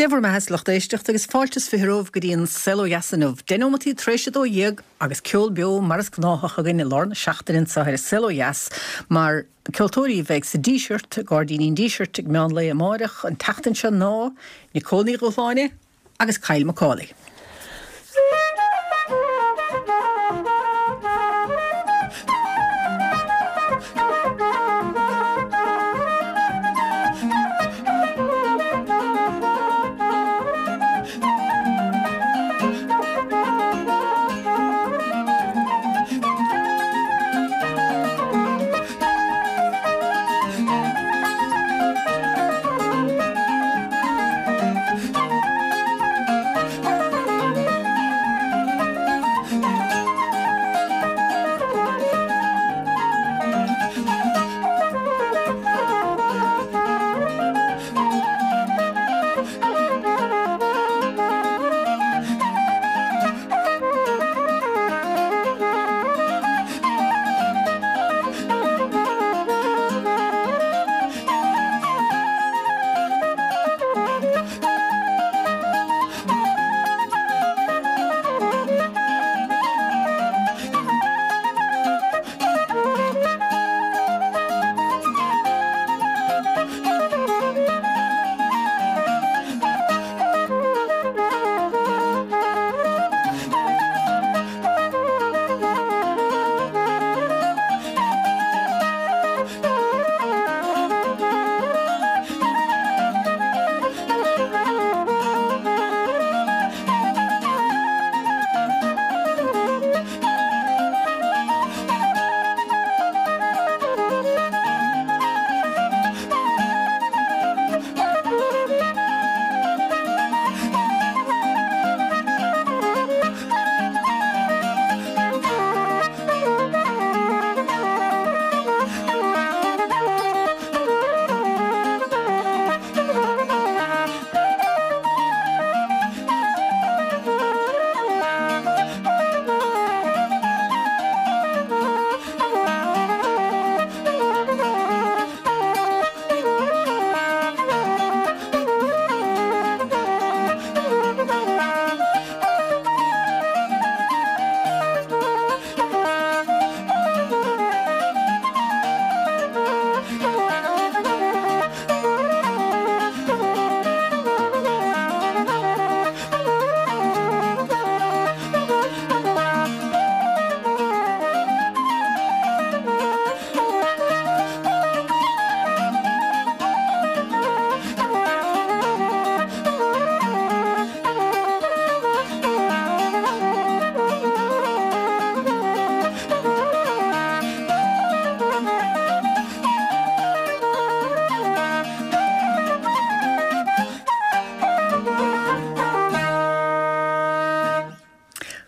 Dé bhur mbeatha a lucht éisteachta agus fáilte is 20 romhaibh go dtí an Saol Ó Dheas inniu. Deich nóimeataí tar éis 12 agus ceol beo mar is gnáthach againn i lár na seachtaine anseo ar an Saol Ó Dheas mar na ceoltóirí a bheidh sa Díseart, Gairdíní an Dísirt ag meán lae amáireach an tseachtain seo ná Nicole Ní Dhúshláine agus Kyle McCauley.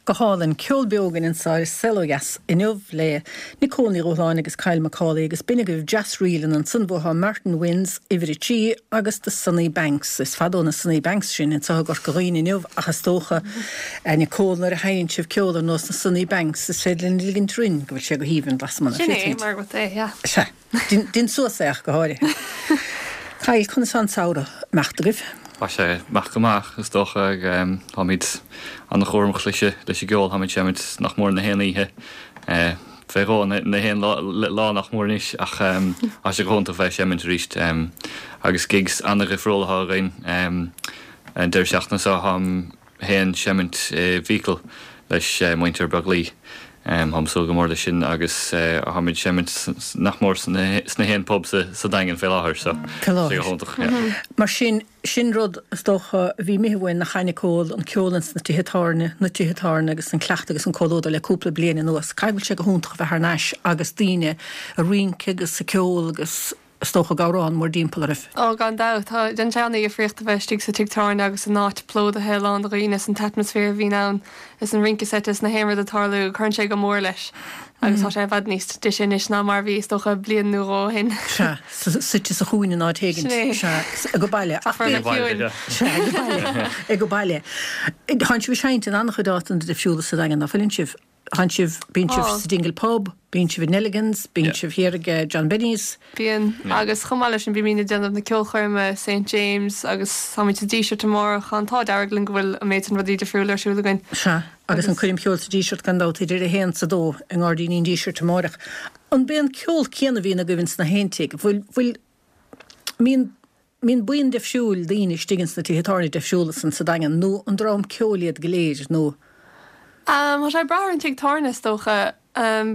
Go hálainn. Ceol beo againn anseo ar Saol Ó Dheas inniu le Nicole Ní Dhúshláine agus Kyle McCauley agus b'in agaibh Jazz Ríleanna ansan bhuafá Martin Wynne's Uimhir 3 agus The Sunny Banks. Is fada ó na Sunny Banks sin anseo i gCorca Dhuibhne inniu ach is dócha, a Nicole, nuair a sheinneann sibh ceol ar nós na Sunny Banks is féidir linn ligint orainn go bhfuil sé go haoibhinn lasmuigh Sin é mar rud é, yeah. Sea. Dein suas é ach go háirithe. Kyle, conas tá an samhradh ag imeacht agaibh? Tá sé ag imeacht go maith, is dócha. Táimid an-chúramach leis an gceol, táimid ag seimint nach mór na haon oíche, fé dhó na haon lá nach mór anois ach tá sé go hiontach bheith ag seimint arís agus gigs an-dhifriúil atá againn. An deireadh seachtaine seo táim féin ag seimint i bhFiacail leis muintir Beaglaoich. Táim ag súil go mór leis sin agus táimid ag seimint nach mór sna haon pub sa Daingean fé láthair so tá sé go hiontach. Mar sin, sin rud is dócha a bhí imithe uainn nach ea Nicole, an ceol ins na tithe tábhairne, na tithe tábhairne agus an cleachtadh agus an comhluadar le cúpla bliain anuas. Caithfidh go bhfuil sé go hiontach a bheith thar n-ais agus daoine ag rince agus ag ceol agus is dócha ag amhrán mórdtimpeall oraibh. Ó, gan dabht. Tá, déanann sé an-dhifríocht a bheith istigh sa tigh tábhairne agus an áit plódaithe lán de dhaoine is an t-atmaisféar a bhíonn ann is an rince seite is na haon rud ag tarlú, cuireann sé go mór leis agus tá sé i bhfad níos deise anois ná mar a bhí, is dócha, bliain nó dhó ó shin. Sea, suite sa chúinne in áit éigint. Sin é. Sea, ag baile. Tá form ciúin. Sea, ag baile. Ag baile. Tánn sibh ag seinnt in an-chuid áiteanna difriúla sa Daingean, ná fuileann sibh? Tánn sibh, bíonn sibh sa Dingle Pub, bíonn sibh i Nelligan's, bíonn sibh thiar ag John Benny's. Bíonn, agus chomh maith leis sin bímid ag déanamh na ceolchoirme St James agus táimid sa Díseart amárach. Tá an t-ádh dearg linn go bhfuil an méid sin rudaí difriúla ar siúl againn. Sea, agus an coirm cheoil sa Díseart gan dabht idir a haon 's a dó i nGairdíní an Dísirt amárach. An b'é an ceol céanna a bhíonn agaibh ins na haon tigh? Bhfuil, bhfuil, mbíonn Mbíonn buíon deifriúil daoine istigh ins na tithe tábhairne deifriúla san sa Daingean nó an dream ceoil iad go léir nó? Tá sé ag brath ar an tigh tábhairne is dócha.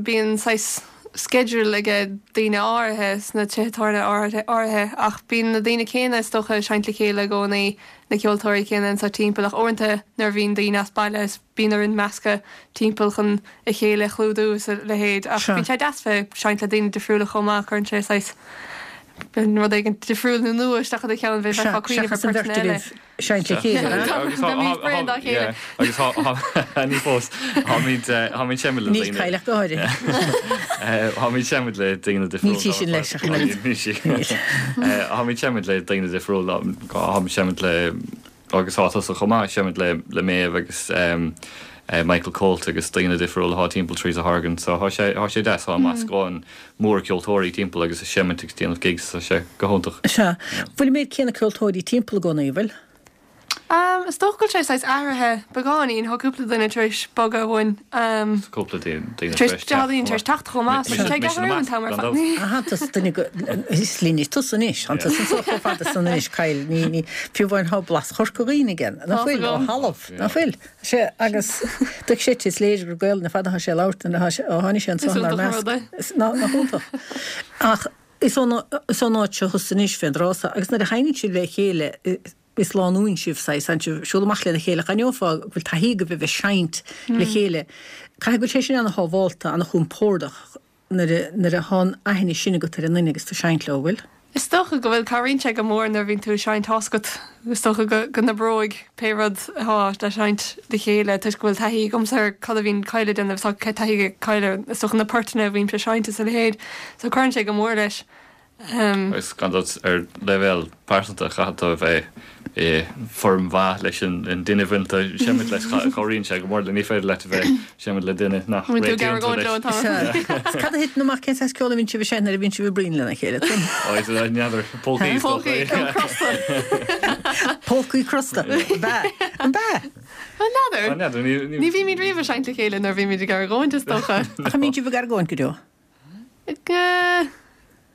Bíonn saghas schedule ag daoine áirithe sna tithe tábhairne áirithe ach bíonn na daoine céanna is dócha ag seinnt le chéile i gcónaí, na ceoltóirí céanna anseo timpeall ach uaireanta nuair a bhíonn daoine as baile is bíonn orainn meascadh timpeall chun a chéile a chlúdú is a leithéid ach bíonn sé deas bheith ag seinnt le daoine difriúla chomh maith, cuireann sé saghas rud éigin difriúil nó nua isteach i do cheann, bheifeá ag cuimhneamh ar Seachas an bheirt phortanna eile. agaibh seinnt le chéile, an ea? Beimid bréan dá chéile. Agus ní fós, táimid táimid seimid le Níl daoine. Kyle ach go háirithe. Táimid seimid le daoine difriúla. Níl sí sin leis ach an oiread. Níl sí. Táimid seimid le daoine difriúla, táimid seimid le Agus tá tusa chomh maith, seimid le le Méabh agus Michael Colt agus daoine difriúla atá timpeall Teresa Horgan so thá sé thá sé deas, thá meascán mór ceoltóirí timpeall agus ag seimint agus déanamh gigs tá sé go hiontach. Sea. Bhfuil an méid céanna ceoltóirí timpeall i gcónaí, an bhfuil? Is dócha go bhfuil sé saghas athraithe beagáinín, tá cúpla duine tar éis bogadh uainn. Tá cúpla duine tar éis teacht. Tá daoine tar éis teacht chomh maith, so tá sé ag athrú an t-am ar fad. Aha, tusa duine go, is linne tusa anois, tá tusa anseo chomh fada san anois, Kyle, ní, ní, fiú amháin tá blas Chorca Dhuibhne aige, nach Tá bhfuil, ó agam. thalamh, nach bhfuil? Sea, agus dúirt sé, is léir gur Gaelainn ar fad atá sé ag labhairt nuair atá sé, ó tháinig sé Is anseo inár iontach an measc. rud é. Is, nach, nach iontach. Ach is ón, is ón áit seo thusa anois fén dtráth so, agus nuair a sheinneann sibh le chéile, Is lánúin sibh, saghas, tánn sibh ag siúl amach lena chéile, d'aithneofá go bhfuil taithí agaibh a bheith ag seinnt le chéile. Caithfidh go bhfuil sé sin ana-shábhálta, ana-chompordach nuair a, nuair a thá an aithne sin agat ar an nduine agus tú ag seinnt leo, bhfuil? Is dócha go bhfuil. Cabhraíonn sé go mór nuair a bhíonn tú ag seinnt, tá's agat, is dócha go, go n-oibreoidh pé rud atá le seinnt le chéile toisc go bhfuil taithí agamsa ar cad a bhíonn Kyle ag déanamh, tá taithí ag Kyle ar, is dócha na portanna a bhímse ag seinnt is a leithéid. So cuireann sé go mór leis. Agus gan dabht, ar leibhéal pearsanta, caithfidh tú a bheith i bhfoirm mhaith leis an duine a bhfuil tú ag seimint leis. Cabhraíonn sé go mór le, ní féidir leat a bheith ag seimint le duine nach réitíonn tú leis. Sea. Cad a thiteann amach, cén saghas ceoil a bhíonn sibh ag seinnt nuair a bhíonn sibh ag bruíon lena chéile? Ó, is é, n'fheadar. Polcaí, is dócha. Polcaí, ceol crosta. Polcaí crosta. Ab ea? An ea? N'fheadar. N'fheadar, ní. Ní bhímid riamh ag seinnt le chéile nuair a bhímid ag argóint, is dócha. Ach an mbíonn sibh ag argóint go deo?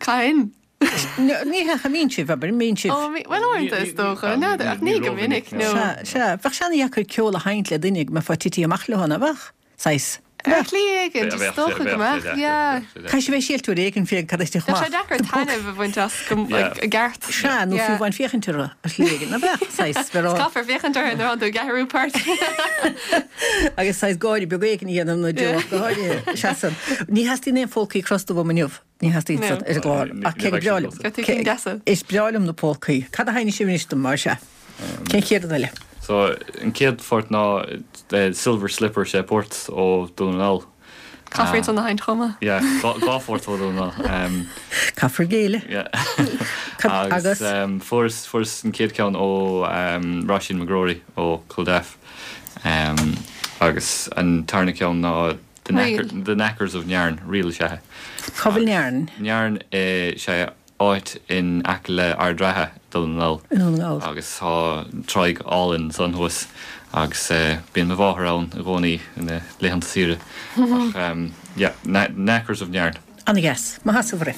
Cathain? Ní hea, an mbíonn sibh, abair, an mbíonn sibh? Ó, bhuel, uaireanta is dócha, n'fheadar, ach ní go minic, no. Sea, sea, bheadh sé ana-dheacair ceol a sheinnt le duine go mbeifeá tití amach leo, nach mbeadh? Saghas. Ar shlí éigin, is dócha go mbeadh, yeah. Caithfidh sibh bheith ag silt uair éigin féach cad a thitfeadh Bheadh amach. sé deacair taitneamh a bhaint as go, like, i gceart. Sea, nó fiú amháin féachaint orthu, ar shlí éigin, nach mbeadh? Saghas, bheadh. Caithfear féachaint orthu nuair atá tú ag athrú poirt. Agus saghas gáire beag éigin a dhéanamh nó deoch go háirithe. Sea san. Ní theastaíonn aon phólcaí crosta uaim inniu. Ní theastaíonn san ar an gclár. Ach cé gur breá liom. Gabh tú cinn deasa. Is breá liom na polcaí. Cad a sheinnfidh sibh anois dom, mar sea? Cén chéad rud eile? So, an chéad phort ná Silver Slipper, sé port ó Dún na nGall. Caithfear iad san a sheinnt chomh maith. Yeah, dhá phort ó Dhún na nGall. Caithfear géilleadh. Yeah. Agus fuaireas, fuaireas an chéad ceann ó Róisín McGrory ó Culdaff. Agus an tarna ceann ná The Knacker, The Knackers of Nairn, ríl is ea é. Cá bhfuil Nairn? Nairn is ea áit in aice le Ard Ratha, Dún na nGall. I nDún na nGall. Agus tá tráigh álainn ansan thuas agus bíonn mo mháthair ann i gcónaí ina laethanta saoire. Ach yeah, Knackers of Nairn. Ana-dheas. Maith as ucht.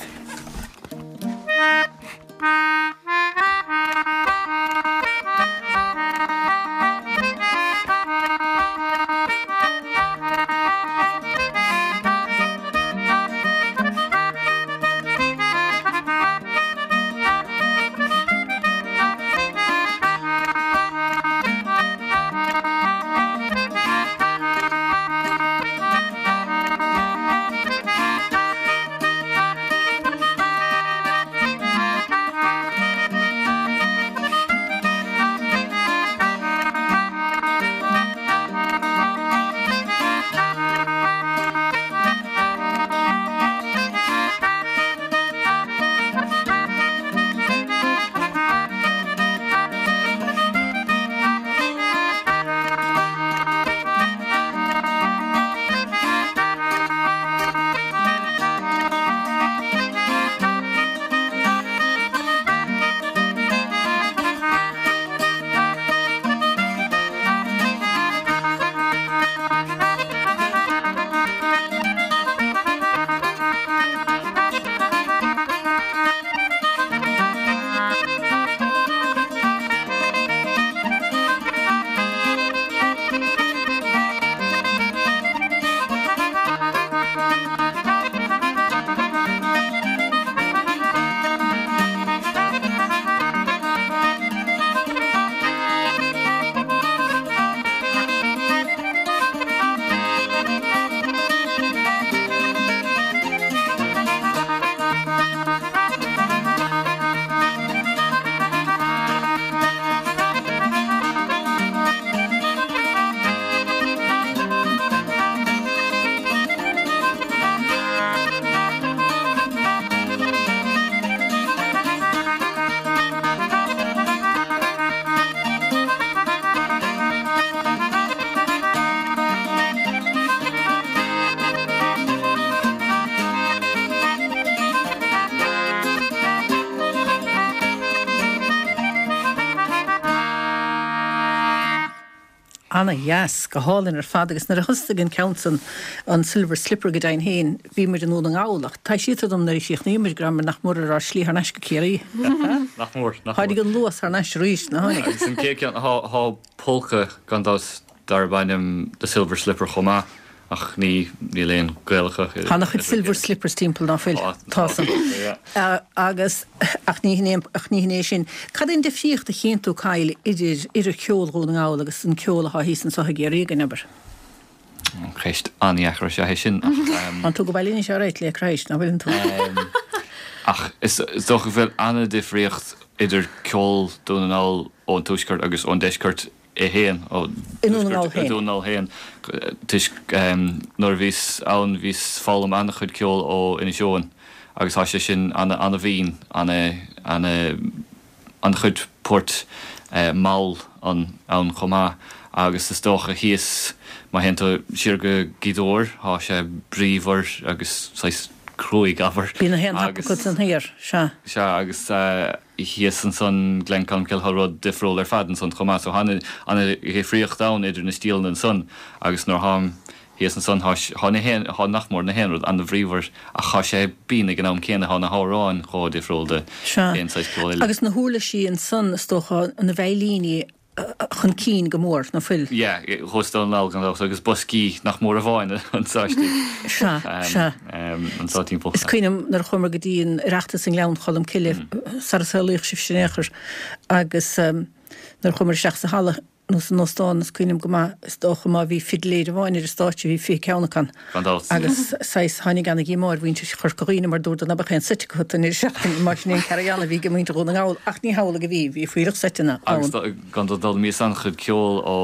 Ana dheas, go hálainn ar fad agus nuair a thosnaigh an ceann san, an Silver Slipper go deimhin féin, bhí muid i nDún na nGall ach taibhsítear dom nuair a chríochnaíomar go rabhamar nach mór ar ár slí thar n-ais go Ciarraí. Nach mór, nach mór. Tháinig an luas thar n-ais arís, nach tháinig? Agus an chéad ceann, thá polca gan dabht darb ainm The Silver Slipper chomh maith. Ach ní, níl aon gaol acu. Tá ana-chuid silver slippers timpeall, ná fuil? Tá san. Agus, ach ní hin é, ach ní hin é sin. Cad é an difríocht a chíonn tú, Kyle, idir, idir ceol Dhún na nGall agus an ceol athá thíos anso i gCiarraí againn, abair? Ceist an-dheacair is ea é sin, ach. Tánn tú go baile anois alright le Christ, ná fuileann tú? Ach is dócha go bhfuil an-difríocht idir ceol Dhún na nGall ón tuaisceart agus ón deisceart é féin, ó I nDún na nGall féin. Dún na nGall féin, toisc nuair a bhíos ann bhíos foghlaim an-chuid ceoil ó Inis Eoghain agus tá sé sin ana-ana-bhinn, ana-ana an-chuid poirt mall ann ann chomh maith agus is dócha thíos má théann tú siar go Gaoth Dobhair tá sé bríomhar agus saghas cruaidh abair Bíonn na haon agus. acu san thiar, sea. Sea agus. thíos ansan, Glencolmcille, tá rud difriúil ar fad ansan chomh maith. So tá ana-dhifríocht ann idir na stíleanna ansan agus nuair tháim thíos ansan tá, tá na haon, tá nach mór na haon rud ana-bhríomhar ach tá sé binn ag an am céanna, tá na hamhráin chomh difriúil de Sea. aon saghas ceol eile. Agus na huirlisí ansan is dócha, na veidhlíní chun cinn go mór, ná fuil? Yeah, thuas i Dún na nGall gan dabht, agus boscaí nach mór amháin anseo istigh. Sea, sea. Anseo timpeall. Is cuimhin liom nuair a chuamar go dtí an Oireachtas i nGleann Cholm Cille, sara saolaíodh sibhse in aon chor, agus nuair a chuamar isteach sa halla nó san óstán, is cuimhin liom go maith, is dócha má bhí fidléir amháin ar an stáitse bhí 20 ceann acu ann. Gan dabht. Agus saghas, tháinig ana-dhíomá ar mhuintir Chorca Dhuibhne mar dúradar ná beadh aon seit acu an deireadh seachtaine mar sin é an carry-on a bhí ag muintir Dhún na nGall ach ní hamhlaidh a bhí, bhí fuílleach seiteanna ann. Agus gan dabht d'fhoghlaimíos an-chuid ceoil ó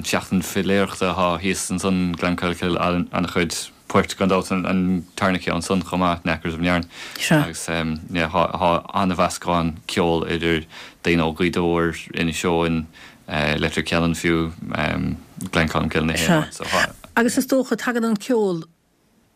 Seachtain Fidléireachta atá thíos ansan, Glencolmcille, an-chuid poirt gan dabht an tarna ceann san chomh maith, Knackers of Nairn. Sea. Agus yeah tá an-mheascán ceoil idir daoine ó Ghaoth Dobhair, Inis Eoghain, Leitir Ceanainn fiú, Glencolmcille na Sea. Agus is dócha, tagann an ceol,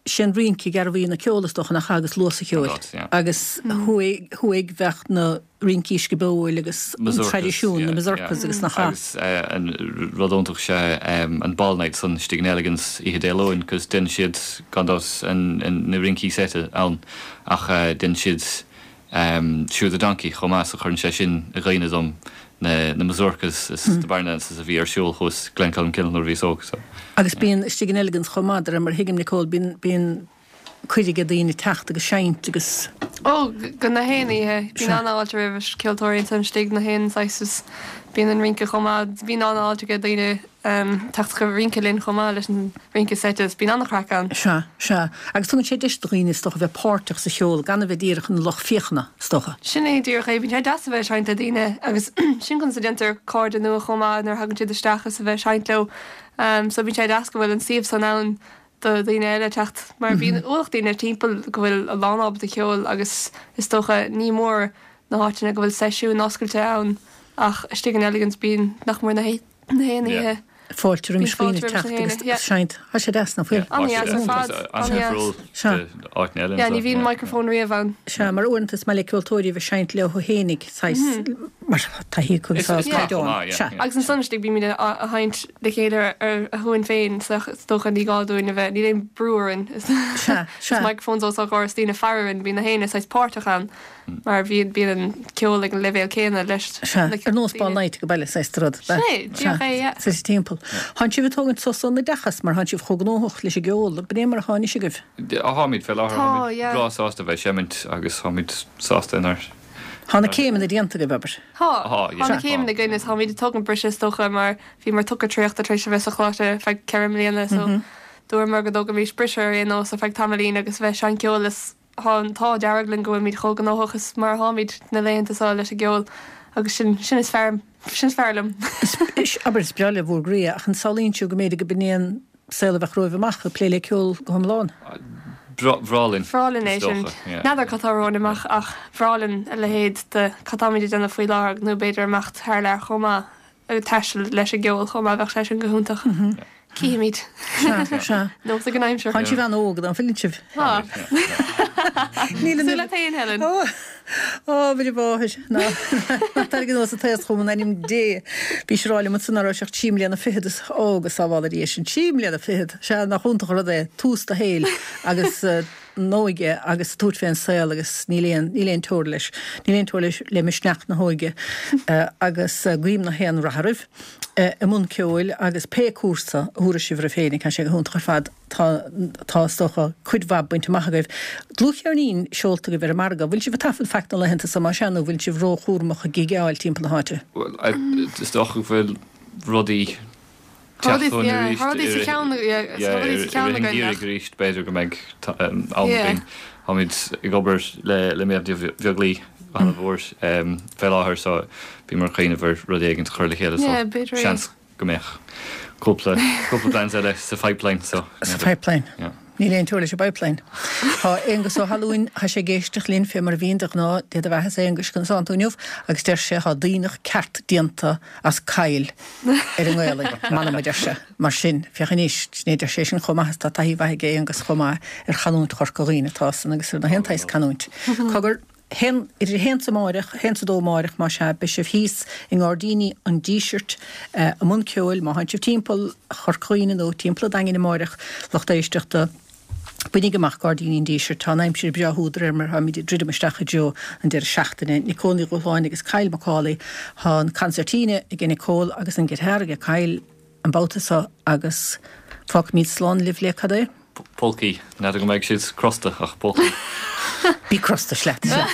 sé an rince gearbhuí na ceol is dócha, nach ea, agus luas an cheoil. Agus thuaidh, thuaidh bheadh na rincí scioból agus an traidisiún, na mazurkas agus nach ea. Agus an rud iontach is ea an ball night san istigh in Elegans oíche Dé Luain, cos déanann siad gan dabht na rincí seite ann ach déanann siad Shoe the Donkey chomh maith so cuireann sé sin i gcuimhne dom na na mazurkas is na barn dances a bhí ar siúl thuas Glencolmcille nuair a bhíos óg so. Agus bíonn istigh in Elegans chomh maith de réir mar a thuigim Nicole bíonn bíonn cuireadh ag daoine teacht agus seinnt agus. Ó, go na haon oíche. Bíonn an-fháilte roimh cheoltóirí ansan istigh na haon saghas is bíonn an rince chomh maith. Bíonn an-fháilte ag daoine teacht chun rince linn chomh maith leis an rince seite is bíonn an-chraic ann. Sea, sea. Agus tugann sé deis do dhaoine, is dócha, bheith páirteach sa cheol gan a bheith díreach ina lucht féachana, is dócha. Sin é díreach é. Bíonn sé deas a bheith ag seinnt le daoine agus sin conas a déantar cairde nua chomh maith nuair a thagann siad isteach is a bheith ag seinnt leo. So bíonn sé deas go bhfuil an suíomh san ann do dhaoine eile teacht mar bíonn ualach daoine timpeall go bhfuil a lán ábalta ceoil agus is dócha ní mór na háiteanna go bhfuil seisiúin oscailte ann ach istigh in Elegans bíonn nach mór na na haon oíche. Fáilte roimis dhaoine teacht agus seinnt. Tá sé deas, nach bhfuil? An-dheas ar fad. An-dheas. Sea. Yeah, ní bhíonn microphone riamh ann. Sea, mar uaireanta is maith le ceoltóirí a bheith ag seinnt leo fhéinig, saghas, mar taithí acu agus tá caighdeán. Sea. Agus ansan istigh bímid a sheinnt le chéile ar a shuain féin, so is dócha ní gá dúinn a bheith, níl aon brú orainn. Sea, sea. Is microphones os ár gcomhair is daoine ag faire orainn, bíonn na héinne saghas páirteach ann. Mar bhíonn bíonn an ceol ag an leibhéal céanna leis Sea, ar nós ball night ag baile, saghas de rud. Sin é, díreach é, yeah. Suite timpeall. Thánn sibh ag tógaint sos ón oideachas mar thánn sibh chomh gnóthach leis an gceol. B'in é mar atá anois agaibh? Táimid fé láthair, Tá, táimid yeah. breá sásta a bheith ag seimint agus táimid sásta inár. Tá na céimeanna déanta agaibh, abair. Tá, Tá, yeah. tá na céimeanna againn is táimid ag tógaint briseadh is dócha mar bhíomar tugtha traochta tar éis a bheith sa choláiste ar feadh 4 mbliana so dúramar go dtógaimis briseadh ar aon nós ar feadh tamaillín agus a bheith ag seinnt ceoil is Tá an t-ádh dearg linn go bhfuilimid chomh gnóthach is mar atáimid na laethanta seo leis an gceol agus sin, sin is fearr, sin is fearr liom. Is, abair, is breá le bhur gcroí é, ach an samhlaíonn sibh go mb'fhéidir go b'in é an saol a bheadh romhaibh amach, ag plé le ceol go hiomlán? Bhreá linn, Bhreá linn é is sin. dócha, yeah. N'fheadar cad tá romhainn amach ach bhreá linn a leithéid de cad táimid ag déanamh faoi láthair nó b'fhéidir imeacht thar lear chomh maith. ag taisteal leis an gceol chomh maith, bheadh sé sin go hiontach. Cífimid. Sea, sea. Nós ag an aimsir. Tánn sibh an-óg, an bhfuileann sibh? Tá. Níl Cosúil leat féin, Helen. Ó! Á, Mhuire Mháthair, ná ná taraig anuas an t-aos chugam in ainm Dé. Bhís ag rá liom ansan ná raibh sé ach trí mbliana fichead is ó go sábhála Dia sinn, trí mbliana fichead! Sea, nach iontach an rud é, tús do shaoil agus an óige agus ag tabhairt fén saol agus níl aon, níl aon teora leis, níl aon teora leis, le misneach na hóige agus guím na haon rath oraibh i mbun ceoil agus pé cúrsa a thabharfaidh sibh oraibh féin, tá sé go hiontach ar fad. Tá, tá, is dócha, cuid mhaith bainte amach agaibh. Dlúthcheirnín seolta agaibh ar an margadh. Bhfuil sibh ag taifead faic na laethanta so, más ea, nó bhfuil sibh róchúramach ag gigeáil timpeall na háite? Bhuel, is dócha go bhfuil rudaí teacht chugainn arís. Tá rudaí sa cheann, yeah, tá rudaí sa cheann againn. I rith an gheimhridh arís, b'fhéidir go mbeidh am againn. Táimid ag obair le le Méabh Ní Bheaglaoich an-mhór fé láthair so bhíomar ag cuimhneamh ar rud éigin a chur le chéile so seans go mbeadh cúpla, cúpla plans eile sa phipeline so. Sa pipeline. Yeah. Níl aon teora leis an bpipeline. Tá Aonghus Ó hAlúin, tá sé ag éisteacht linn fé mar a bhíonn de ghnáth, Dé do bheatha-sa Aonghus, conas tánn tú inniu? Agus deir sé, tá daoineach ceart déanta as Kyle ar an nGaelainn, m'anam a deir sé. Mar sin, féach anois, ní deir sé sin chomh maith is tá taithí mhaith aige Aonghus chomh maith ar chanúint Chorca Dhuibhne atá san agus ar na haon tsaghas canúint. Cogar, haon, idir a haon 's amáireach, a haon 's a dó amáireach, más ea, beidh sibh thíos i nGairdíní an Dísirt i mbun ceoil, má thánn sibh timpeall Chorca Dhuibhne nó timpeall an Daingin amáireach, lucht éisteachta, bainíg amach Gairdíní an Dísirt, tá an aimsir breá úd de réir mar atáimid ag druidim isteach i dtreo an deireadh seachtaine. Nicole Ní Dhúshláin agus Kyle McCauley, tá an concertina aige Nicole agus an guitar aige Kyle an babhta seo agus fágfaimid slán libh le cad é? Polcaí. N'fheadar go mbeidh siad crosta, ach polcaí. Bí crosta, sleat, sleat.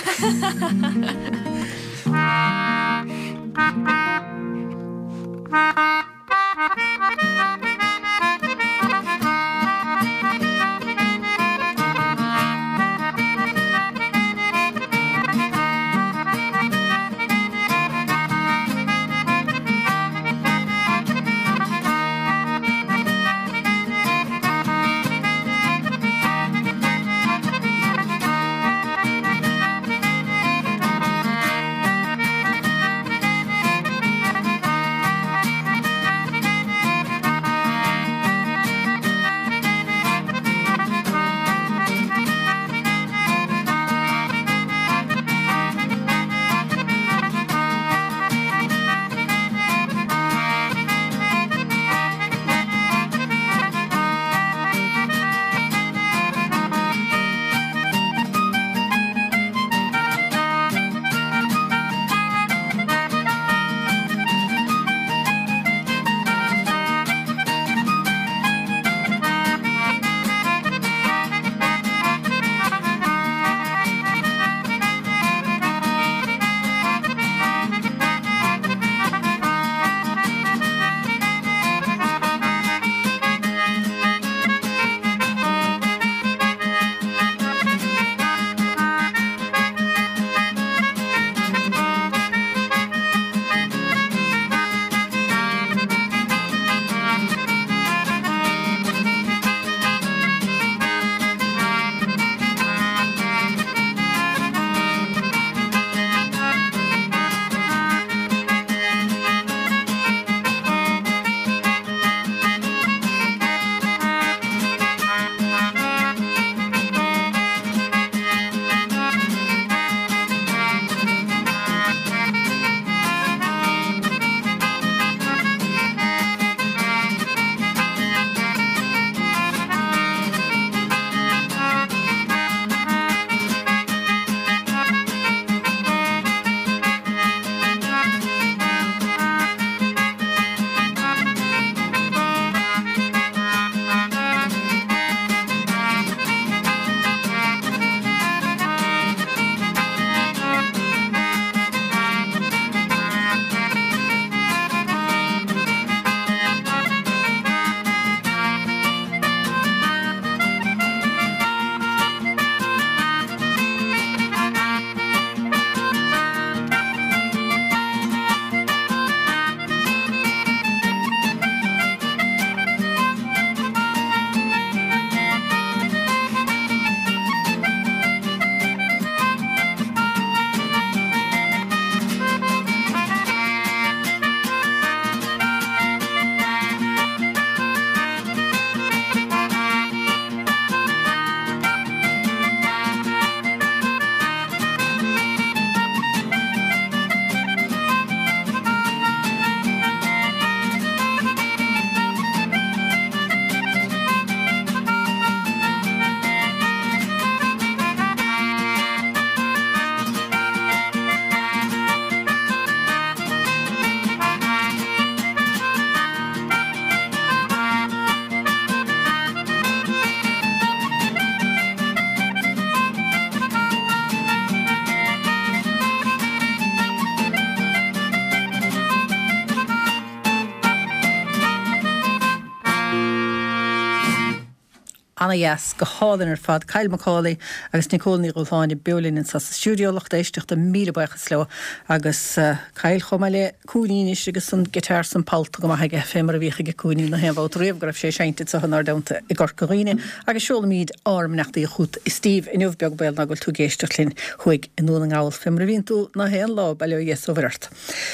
Ana-dheas, go hálainn ar fad. Kyle Macaulay agus Nicole Ní Dhúshláine beo linn anseo sa stiúideo, lucht éisteachta, míle buíochas leo. Agus Kyle chomh maith le Cúiní anois agus an guitar 's an poll go maith aige, fé mar a bhíodh aige Cúiní na haon bhabhta riamh go raibh sé ag seinnt anseo inár dteannta i gCorca Dhuibhne. Agus seolaimíd ár mbeannachtaí chút a Steve inniu, beag baol ná go bhfuil tú ag éisteacht linn thuaidh i nDún na nGall, fé mar a bhíonn tú na haon lá, bail ó Dhia 's ó Mhuire ort.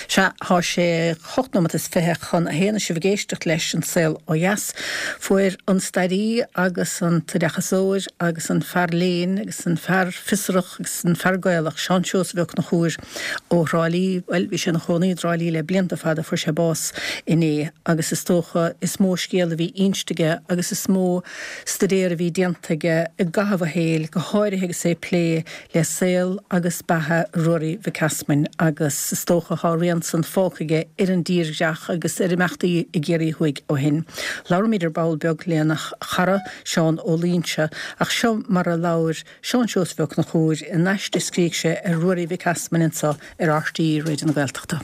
Sea, thá sé hocht nóimeat is 20 chun a haon is sibh ag éisteacht leis An Saol Ó Dheas. Fuair an stairí agus an t-oideachasóir agus an fear léinn agus an fear fiosrach agus an fear Gaelach, Seán Seosamh Ó Conchúir ó Thrá Lí, bhuel, bhí sé ina chónaí i dTrá Lí le blianta fada, fuair sé bás inné agus is dócha is mó scéal a bhí inste aige agus is mó staidéar a bhí déanta aige i gcaitheamh a shaoil, go háirithe agus é ag plé le saol agus beatha Ruairí Mhic Easmainn agus is dócha thá a rian san fágtha aige ar an dtírdhreach agus ar imeachtaí i gCiarraí Thuaidh ó shin. Labhróimid ar ball beag lena chara, Seán Ó Loingsigh, ach seo mar a labhair Seán Seosamh Ó Conchúir in aiste a scrígh sé ar Ruairí Mhic Easmainn anso ar RTÉ Raidió na Gaeltachta.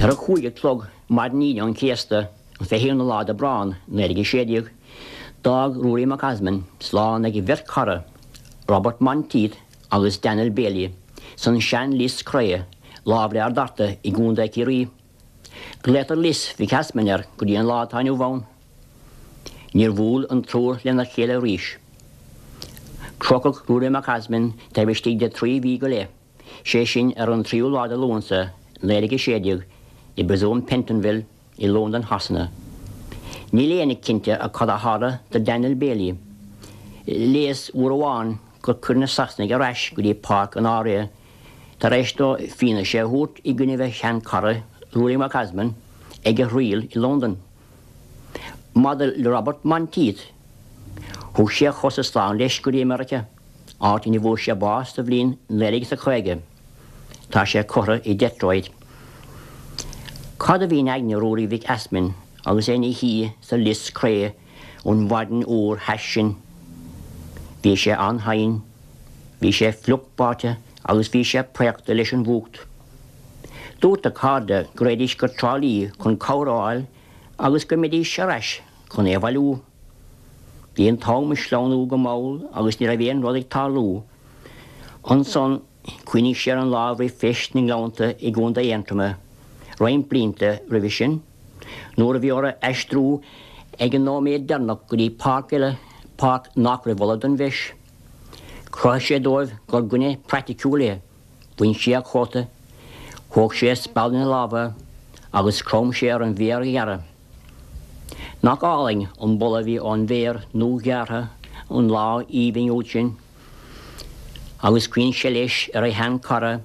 Ar a chúig a chlog maidin Aoine an Chéasta, an 21ú lá d'Aibreán, 1916, d'fhág Ruairí Mac Easmainn slán ag a bheirt chara, Robert Monteith agus Daniel Bailey, san sean-lios cré, láimh le Ard Fhearta i gContae Chiarraí. Glaotar Lios Mhic Easmainn air go dtí an lá atá inniu ann. Níor bhuail an triúr lena chéile arís. Crochadh Ruairí Mac Easmainn taobh istigh de thrí mhí go leith. sé sin ar an tríú lá de Lúnasa, 1916, i bPriosún Pentonville i Londain Shasana. Níl éinne cinnte cad a tharla do Daniel Bailey. Léas uair amháin gur cuireadh na Sasanaigh ar ais go dtí páirc an IRA tar éis dó fianaise a thabhairt i gcoinnibh a shean-chara Ruairí Mac Easmainn ag a thriail i Londain. Maidir le Robert Monteith, thug sé a chosa slán leis go dtí Meiriceá. áit ina bhfuair sé bás sa bhliain 1950. Tá sé curtha i Detroit. Cad a bhí in aigne Ruairí Mhic Easmainn agus é ina shuí sa lios cré an mhaidin fhuar thais sin? Bhí sé an-tinn, bhí sé fliuch báite agus bhí sé préachta leis an bhfuacht. Dúirt a chairde go raghaidís go Trá Lí chun cabhair a fháil agus go mbeidís ar ais chun é a bhailiú. Bhí an t-am ag sleamhnú go mall agus ní raibh aon rud ag tarlú. Ansan chuimhnigh sé ar an lá roimh Feis na nGleannta i gContae Aontroma, roinnt blianta roimhe sin, nuair a bhí orthu aistriú ag an nóiméad deireanach go dtí páirc eile, páirc nach raibh ullamh don bhFeis. Chruthaigh sé dóibh gur dhuine praiticiúil é. Bhain sé a chóta, thóg sé a speal ina lámha agus chrom sé ar an bhféar a ghearradh. Nach álainn an boladh a bhí ón bhféar nua-ghearrtha an lá aoibhinn úd sin! Agus chuimhnigh sé leis ar a shean-chara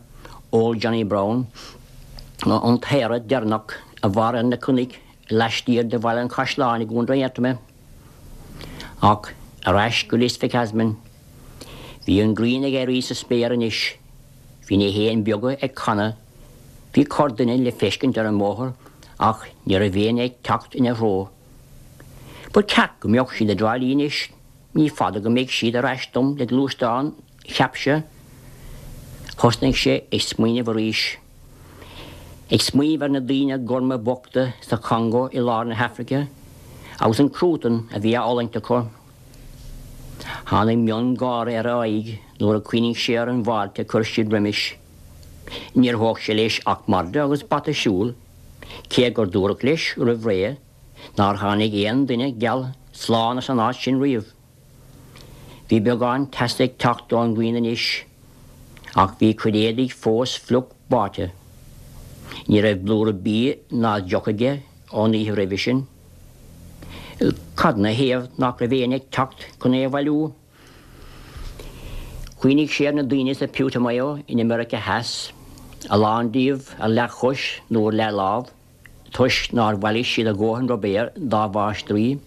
Old Johnny Brown, an t-aoire deireanach a mhair ar na cnoic laistiar de Bhaile an Chaisleáin i gContae Aontroma. Ach ar ais go Lios Mhic Easmainn. Bhí an ghrian ag éirí sa spéir anois. Bhí na héin beaga ag canadh. Bhí corrduine le feiscint ar an mbóthar ach ní raibh éinne ag teacht ina threo. Ba cheart go mbeadh siad i dTrá Lí anois, ní fada go mbeidh siad ar ais dom le gluaisteán, cheap sé. Thosnaigh sé ag smaoineamh arís. Ag smaoineamh ar na daoine gorma bochta sa Chongó i lár na hAfraice agus an cruatan a bhí á fhulaingt acu. Tháinig miongháire ar a aghaidh nuair a chuimhnigh sé ar an bhfáilte a chuir siad roimis. Níor thóg sé leis ach madra agus bata siúil, cé gur dúradh leis roimh ré nár tháinig aon duine geal slán as an áit sin riamh. Bhí beagán teasa ag teacht ón ngrian anois, ach bhí a chuid éadaigh fós fliuch báite. Ní raibh blúire bídh ná deoch aige ón oíche roimhe sin. Cad 'na thaobh nach raibh éinne ag teacht chun é a bhailiú? Chuimhnigh sé ar na daoine sa Putumayo in America Theas, a lán díobh ar leathchois nó ar leathlámh, toisc nár bhailigh siad a dhóthain ruibéir dá mháistrí.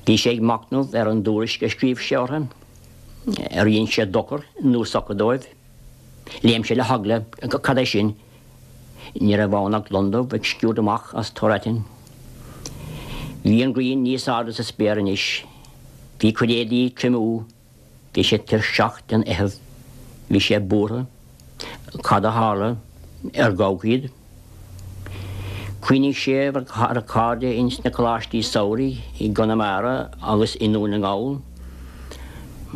Bhí sé ag machnamh ar an dtuairisc a scríobh sé orthu. Ar dhein sé dochar nó sochar dóibh? Léim sé le heagla. Cad é sin? Ní raibh ann ach londubh ag sciúradh amach as tor aitinn. Bhí an ghrian níos airde sa spéir anois. Bhí a chuid éadaí ag triomú. Bhí sé tuirseach den fheitheamh. Bhí sé buartha. Cad a tharla? Ar gabhadh iad? Chuimhnigh sé ar a chairde ins na coláistí samhraidh i gConamara agus i nDún na nGall.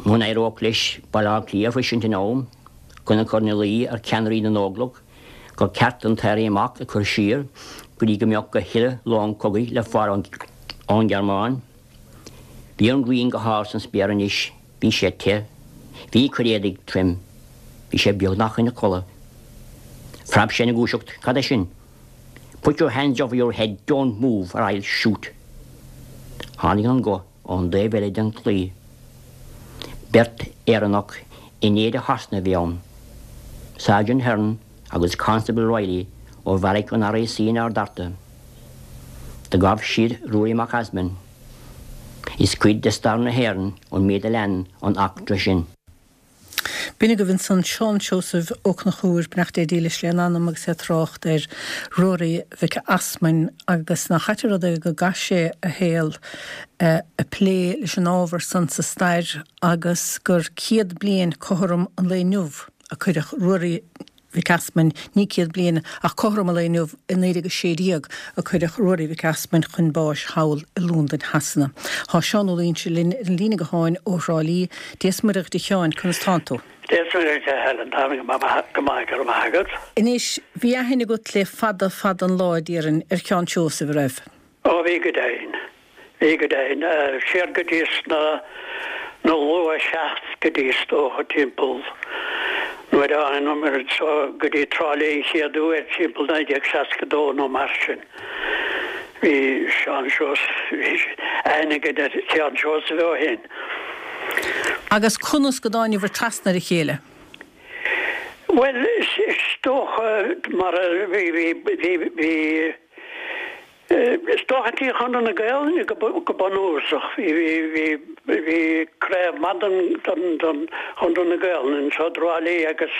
Muna n-éireodh leis Baile Átha Cliath a shroisint in am chun a chur ina luí ar cheannairí na nÓglach gur ceart an t-éirí amach a chur siar go dtí go mbeadh a thuilleadh long cogaidh le fáil ón nGearmáin. Bhí an ghrian go hard san spéir anois, bhí sé te, bhí a chuid éadaigh tirim, bhí sé beagnach ina chodladh. Phreab sé ina dhúiseacht, cad é sin? Put your hands over your head, don't move or I'll shoot! Tháinig an guth ón dtaobh eile den chlaí. Beirt Éireannach in éide Shasana a bhí ann, Sergeant Hearn agus Constable Reilly ó bheairic an RIC in Ard Fhearta. Do ghabh siad Ruairí Mac Easmainn. Is cuid de stair na hÉireann an méid a lean an eachtra sin. B'in agaibh ansan Seán Seosamh Ó Conchúir, beannacht Dé dílis lena anam agus é ag trácht ar Ruairí Mhic Easmainn agus nach ait an rud é go gcaith sé a shaol ag plé leis an ábhar san sa stair agus gur 100 bliain cothrom an lae inniu a cuireadh Ruairí Mhic Easmainn, ní 100 bliain, ach cothrom an lae inniu i 1916 a cuireadh Ruairí Mhic Easmainn chun báis thall i Londain Shasana. Tá Seán Ó Loingsigh linn ar an líne gutháin ó Thrá Lí. Dia is Muire dhuit a Sheáin, conas tánn tú? Dia is Muire dhuit a Helen, táim go maith, go raibh maith agat. Anois, bhí aithne agat le fada fada an lá, déarfainn, ar Sheán Seosamh, a raibh? Ó bhí go deimhin. Bhí go deimhin. Siar go dtí sna na luath seascaidí is dócha timpeall nuair a thángamar anseo go dtí Trá Lí an chéad uair timpeall 1962 nó mar sin. Bhí Seán Seosamh, bhí aithne againn ar Sheán Seosamh ó shin. Agus conas go dtáinibhir trasna ar a chéile? Bhuel, is dócha mar a bhí, bhí, bhí, bhí, Is dócha Tigh Chonradh na Gaelainne go bunúsach. Bhí craobh maith den Chonradh na Gaelainne anseo i dTrá Lí agus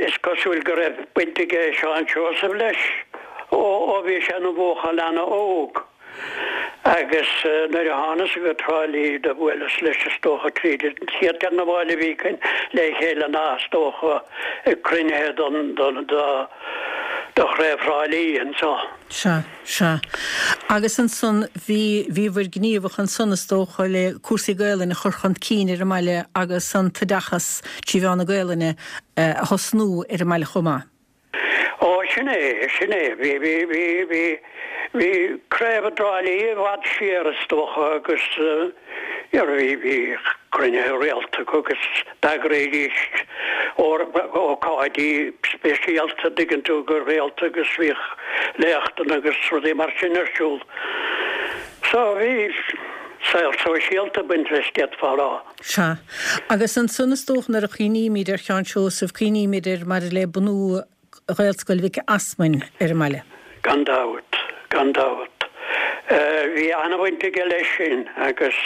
is cosúil go raibh baint aige Seán Seosamh leis ó bhí sé ina bhuachaill ana-óg. Agus nuair a thánas go Trá Lí do bhuaileas leis is dócha tríd an chéad teangabháil a bhí againn le chéile ná is dócha ag cruinnithe don don do do Chraobh Thrá Lí anseo. Sea, sea. Agus ansan bhí, bhíobhair gníomhach ansan is dócha le cúrsaí Gaelainne a chur chun cinn ar an mbaile agus an t-oideachas trí mheán na Gaelainne a thosnú ar an mbaile chomh maith. Ó, sin é, sin é. Bhí, bhí, bhí, bhí, bhí craobh i dTrá Lí i bhfad siar is dócha agus bhí, bhí cruinnithe rialta acu agus d'eagraídís ócáidí speisialta, an dtuigeann tú, go rialta agus bhíodh léachtanna agus rudaí mar sin ar siúl. So bhí saol sóisialta ag baint leis, d'fhéadfá a rá. Sea. Agus ansan is dócha nuair a chuimhnímid ar Sheán Seosamh, cuimhnímid air maidir le bunú Ghaelscoil Mhic Easmainn ar an mbaile. Gan dabht, gan dabht. Bhí an-bhaint aige leis sin agus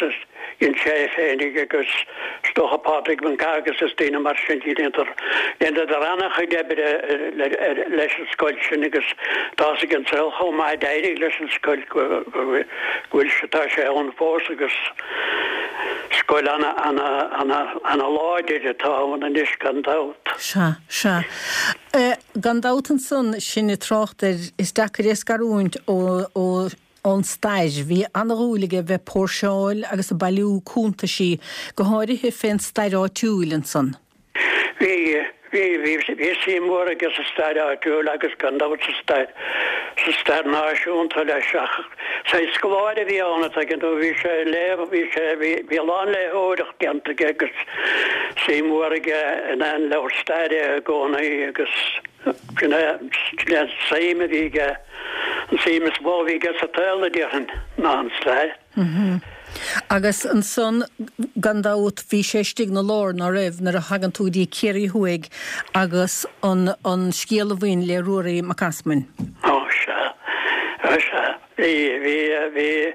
dhein sé é féinig agus is dócha Pádraig Mac Agus is daoine mar sin, dheineadar, dheineadar an-chuid oibre leis an scoil sin agus tá's ag an saol chomh maith a d'éirigh leis an scoil go bhfuil sé, tá sé ann fós agus. Scoil ana, ana, ana, ana láidir atá ann anois gan dabht. Sea, sea. Gan dabht ansan, sinn ag trácht air, is deacair é a scarúint ó, ó, ón stair. Bhí ana-dhúil aige bheith ag póirseáil agus ag bailiú cuntaisí, go háirithe fén stair áitiúil ansan. Bhí, bhí, bhí, bhí suim mhór aige sa stair áitiúil agus gan dabht sa stair, sa stair náisiúnta leis ach saghas scoláire a bhí ann an dtuigeann tú, bhí sé ag léamh, bhí sé, bhí, bhí a lán léitheoireacht déanta aige agus suim mhór aige in aon leabhar staire i gcónaí agus sin é, sin é an suim a bhí aige, an suim is mó a bhí aige sa tsaol a déarfainn ná an stair. Agus ansan, gan dabht, bhí sé istigh 'na lár, ná raibh, nuair a thagann tú go dtí Ciarraí Thuaidh agus an an scéal a bhain le Ruairí Mac Easmainn. Ó, sea. Ó, sea. Bhí, bhí, bhí,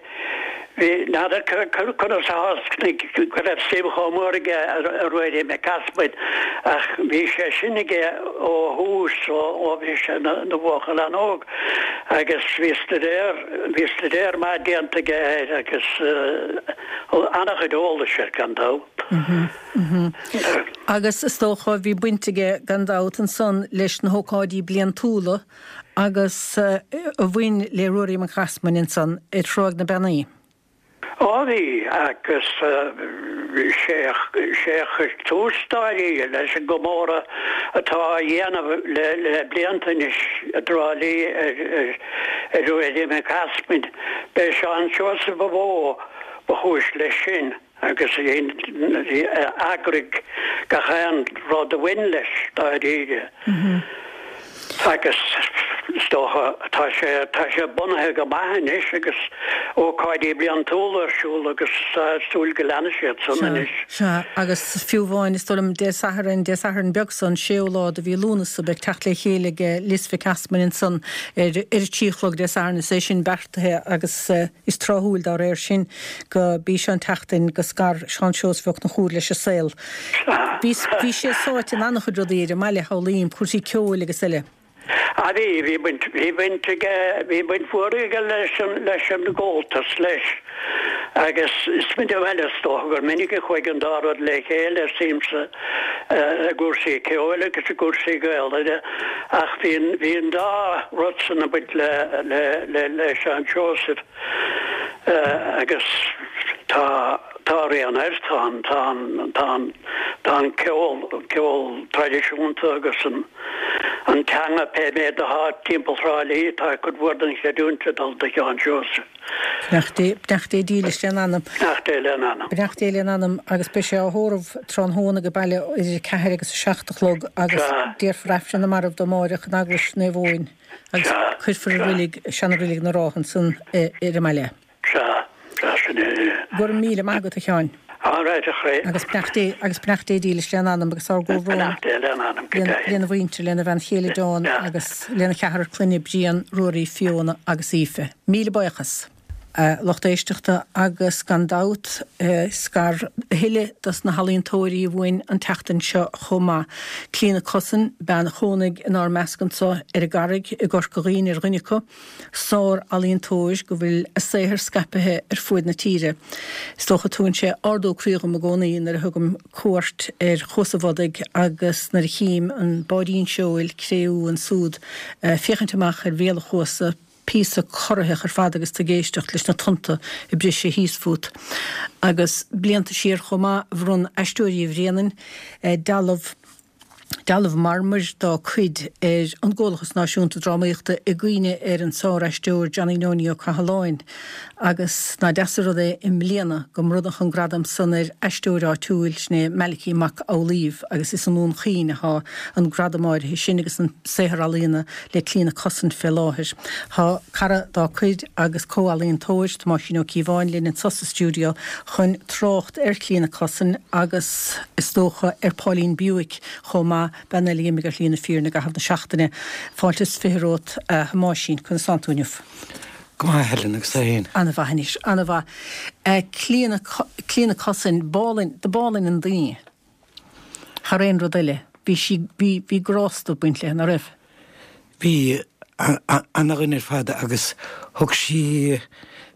bhí, n'fheadar conas a tháinig go raibh suim chomh mór aige i Ruairí Mac Easmainn ach bhí sé sin aige ó thús, ó, ó bhí sé ina bhuachaill an-óg agus bhí staidéar, Bhí staidéar maith déanta aige air agus an-chuid eolais air gan dabht. Agus is dócha bhí baint aige gan dabht ansan leis na hócáidí bliantúla. Agus a bhain le Ruairí Mac Easmainn ansan ar Thráigh na Beannaí. Á bhí, agus sé a chuir tús dáiríre leis an gcomóradh atá á dhéanamh le blianta anois i dTrá Lí ar Ruairí Mac Easmainn. B'é Seán Seosamh ba mhó ba chúis leis sin. agus a d'eagraigh gach aon rud a bhain leis, dáiríre. Agus is dócha, tá sé, tá sé bunaithe go maith anois agus ócáidí bliantúla ar siúl agus tá súil go leanfaidh siad san anois. Sea, agus fiú amháin, is dóigh liom, Dé Sathairn, Dé Sathairn beag san, séú lá de mhí Lúnasa, beidh teacht le chéile ag Lios Mhic Easmainn ansan ar ar a trí a chlog Dé Sathairn, is é sin beartaithe agus is tráthúil dá réir sin. Go b'í seo an tseachtain go scar Seán Seosamh Ó Conchúir leis an saol. Bhí bhí sé sáite in an-chuid rudaí ar an mbaile, shamhlaím, cúrsaí ceoil agus eile. Ah bhí, bhí baint, bhí baint aige, bhí baint mhór aige leis an, leis an gComhaltas leis. Agus is minic, bhuel is dócha gur minic a chuaigh an dá rud le chéile, siamsa i gcúrsaí ceoil agus i gcúrsaí Gaelainne ach bhí an, bhí an dá rud san ag baint le, le, le, le Seán Seosamh. Agus tá, tá a rian air, tá an, tá an, tá an, tá an ceol, ceol traidisiúnta agus an, an teanga, pé méid atá timpeall Thrá Lí, tá cuid mhór den chreidiúint ag dul do Sheán Seosamh. Beannacht Dé, beannacht Dé dílis lena anam. Beannacht Dé lena anam. Beannacht Dé lena anam agus beidh sé á thórramh tráthnóna age baile idir 4 agus 7 a chlog agus déarfar Aifreann na Marbh dó amáireach in Eaglais Naomh Eoin. Agus cuirfear i reilig, seana-reilig na Rátha ansan ar an mbaile. Sea, sea, sin é. Go raibh míle maith agat, a Sheáin. All right, a chroí. Agus beannacht Dé, agus beannacht Dé dílis lena anam agus ár gcomhbhrón. Beannacht Dé lena anam, go deimhin. Lena mhuintir, lena bhean chéile Dawn agus lena cheathrar clainne Brian, Ruairí, Fiona agus Aoife. Míle buíochas. A lucht éisteachta agus gan dabht scar a thuilleadh dos na healaíontóirí uainn an tseachtain seo chomh maith. Clíona Cussen, bean a chónaigh inár measc anso ar an gCarraig i gCorca Dhuibhne ar dhuine acu, sár-ealaíontóir go bhfuil a saothar scaipthe ar fuaid na tíre. Is dócha tugann sé ardú croí dhom i gcónaí nuair a thugaim cuairt ar Chuas an Bhodaigh agus nuair a chím an báirín seoil cré-umha ansúd féachaint amach ar bhéal an chuasa, Píosa corraitheach ar fad agus tú ag éisteacht leis na tonnta ag briseadh thíos fút. Agus blianta siar chomh maith, bhronn Aisteoirí Bhréanainn dealbh, dealbh marmair dá cuid ar an gComhlachas Náisiúnta Drámaíochta i gcuimhne ar an sár-aisteoir Johnny Nonie Ó Cathaláin. Agus nach deas an rud é i mbliana go mbronnadh an gradam san ar aisteoir áitiúil, sin é Malachy Mac Amhlaoibh, agus is i nDún Chaoin atá an gradam áirithe sin agus an saothar ealaíona le Clíona Cussen fé láthair. Tá cara dá cuid agus comh-ealaíontóir, Tomáisín Ó Cíobháin, linn anso sa stiúideo chun trácht ar Chlíona Cussen agus is dócha ar Pauline Bewick chomh maith, bean eile a d'imigh ar shlí na fírinne i gcaitheamh na seachtaine. Fáilte is 20 romhat, a Thomáisín. Conas tánn tú inniu? Go maith, a Helen, agus tú fhéin? Ana-mhaith anois, ana-mhaith. Clíona, Clíona Cussen, b'álainn, do b'álainn an duine. Thar aon rud eile, bhí sí, bhí, bhí grásta ag baint léi, ná raibh? Bhí, ana-dhuine ar fad agus thug sí,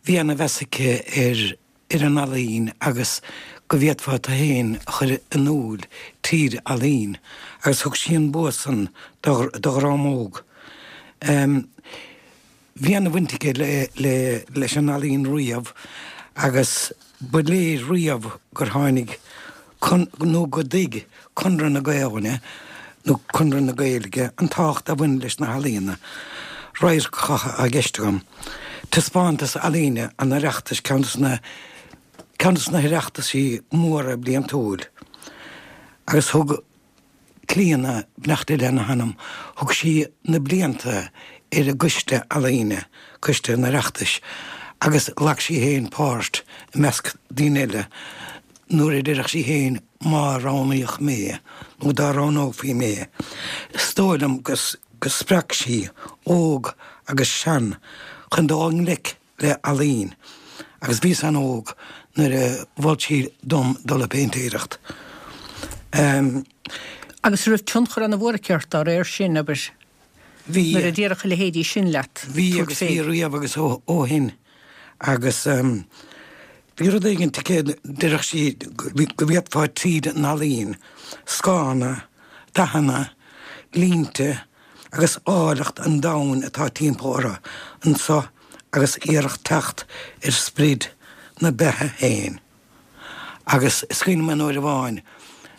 bhí ana-mheas aici ar, ar an ealaín agus go bhféadfá tú féin a chur in iúl tríd ealaín agus thug sí an bua san do, do dhream óg. Bhí ana-bhaint aici leis an ealaín riamh agus ba léir riamh gur tháinig nó go dtuig Conradh na Gaelainne nó Conradh na Gaeilge an tábhacht a bhain leis na healaíona. Radharcacha i gceist agam. Taispeántas ealaíne an Oireachtais ceann de na ceann de na hOireachtaisí móra bliantúil agus thug Clíona, beannacht Dé lena hanam, thug sí na blianta ar an gcoiste ealaíne, coiste an Oireachtais, agus ghlac sí féin páirt i measc daoine eile nuair a déarfadh sí féin má roghnaíodh mé nó dá roghnófaí mé. Is dóigh liom go spreag sí óg agus sean chun dul i ngleic le ealaín agus bhíos an-óg nuair a mhol sí dom dul ag péintéireacht. Agus an raibh tionchar ana-mhór aici ort dá réir sin, abair, Bhí. nuair a déarfadh a leithéidí sin leat, Bhí agus bhí riamh agus ó shin agus bhí rud éigin aici, déarfadh sí go bhféadfá tríd an ealaín, scáthanna, dathanna, línte. agus áilleacht an domhain atá timpeall orthu anso agus iarracht teacht ar sprid na beatha féin. Agus is cuimhin liom aon uair amháin,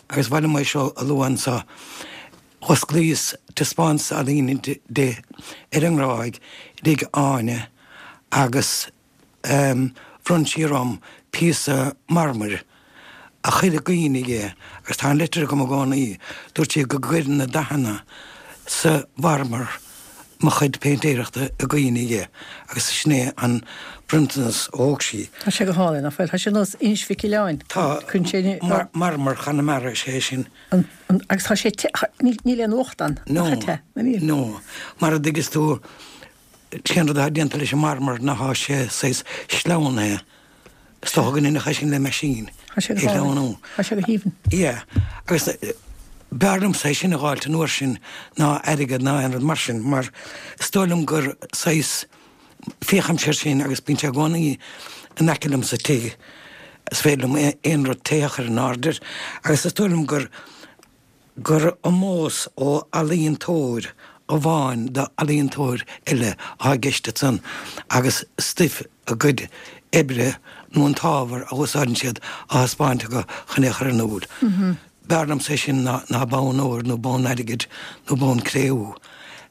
agus ba mhaith liom é seo a lua anso, Dh'osclaíos taispeántas ealaíne di ar an nGráig i dtigh Áine agus bhronn sí orm píosa marmair a chuir i gcuimhne di, agus tá an litir agam i gcónaí, dúirt sí go gcuireann na dathanna sa mharmar mo chuid péintéireachta i gcuimhne di agus sin é an bronntanas a thóg sí. Tá sé go hálainn, nach bhfuil? Tá sé ar nós Inis Mhic Aoileáin. Tá. Marmar Chonamara is ea é sin. Agus tá sé te, níl aon fhuacht ann, nach é te? No, no. Mar a dtuigeas tú, cén rud atá déanta leis an marmar ná tá sé saghas sleamhnaithe. Is dócha go ndéanfadh é sin le meaisín. Tá sé go hálainn. Tá sé go haoibhinn. Yeah. Agus b'fhearr liomsa é sin a dh'fháilt an uair sin ná airgead ná aon rud mar sin, mar is dóigh liom gur saghas, féachaimse air sin agus bíonn sé i gcónaí in aice liom sa tigh, is féidir liom aon rud te a chur in airde air agus is dóigh liom gur gur ómós ó ealaíontóir amháin d'ealaíontóir eile atá i gceist ansan agus stuif a gcuid oibre nó an t-ábhar a úsáideann siad á thaispeáint acu chun é a chur in iúl. B'fhearr liomsa é sin ná bonn óir nó bonn airgid nó bonn cré-umha.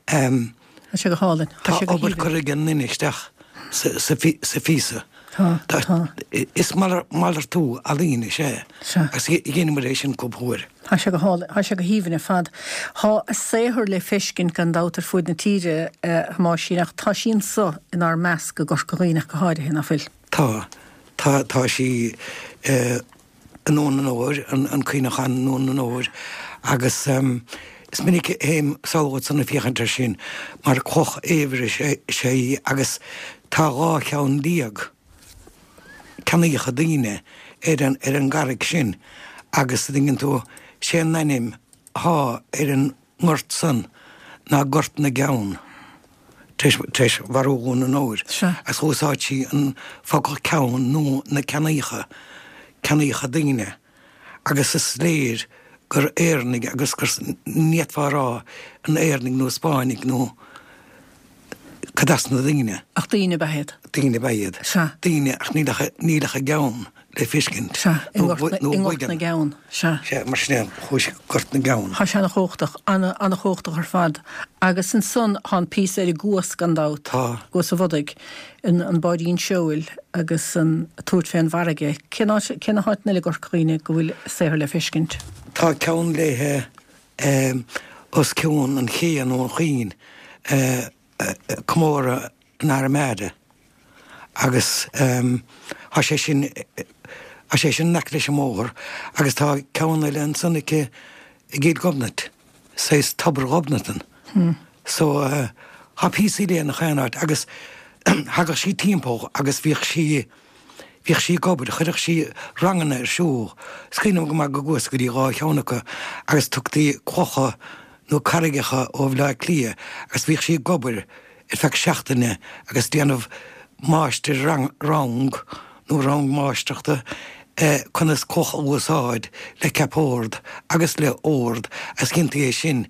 Tá sé go hálainn. Tá obair curtha ag an nduine isteach sa phíosa. Tá, tá. Is malartú ealaíne is ea é. Agus dheineamar é sin cúpla uair. Tá sé go hálainn. Tá sé go haoibhinn ar fad. Tá a saothar le feiscint gan dabht ar fuaid na tíre, a Thomáisín, ach tá sí anso inár measc i gCorca Dhuibhne ach go háirithe, ná fuil? Tá. Tá, tá sí i nDún an Óir, an cuimhneachán i nDún an Óir, agus is minic a théim sall chugat san ag féachaint air sin mar cloch fhaobhair is ea í agus tá 12 cheann ceannaíocha daoine ar an ar an gcarraig sin agus a dtuigeann tú, sé an ainm athá ar an ngort san ná Gort na gCeann, tar éis mharú Dhún an Óir, agus dh'úsáid sí an focal ceann nó na ceannaíocha, ceannaíocha daoine, agus is léir gur Éireannaigh agus gur, ní fhéadfá a rá an Éireannaigh nó Spáinnigh nó cad as na daoine. Ach daoine ab ea iad. Daoine ab ea iad. Sea. Daoine, ach níl ach, níl ach a gceann le feiscint. Sea, i ngort na, i ngort na gceann. Sea. Sea, mar sin é, chuaigh sé Gort na gCeann. Tá sé ana-chumhachtach, ana, ana-chumhachtach ar fad. Agus ansan tá an píosa ar an gCuas gan dabht. Tá. gCuas an Bhodaigh, an, an báidín seoil agus an, tabhairt fén bhfarraige. Cén áit, cé na háiteanna eile i gCorca Dhuibhne go bhfuil saothar le feiscint? Tá ceann léithe os cionn an ché nó an chuain, comóradh an Armada agus tá sé sin tá sé sin in aice leis an mbóthar agus tá ceann eile ansan aici i gCill Ghobnait, saghas Tobar Ghobnatan. So tá píosaí léi in chaon áit agus thagadh sí timpeall agus bhíodh sí Bhíodh sí ag obair, chuireadh sí ranganna ar siúl. Is cuimhin liom go maith go gcuas go dtí dhá cheann acu agus tugtaí clocha nó carraigeacha ó Bhaile Átha Cliath agus bhíodh sí ag obair ar feadh seachtaine agus déanamh máistir-rang nó rang máistreachta conas cloch a úsáid le ceap ord agus le ord agus dhéantaí é sin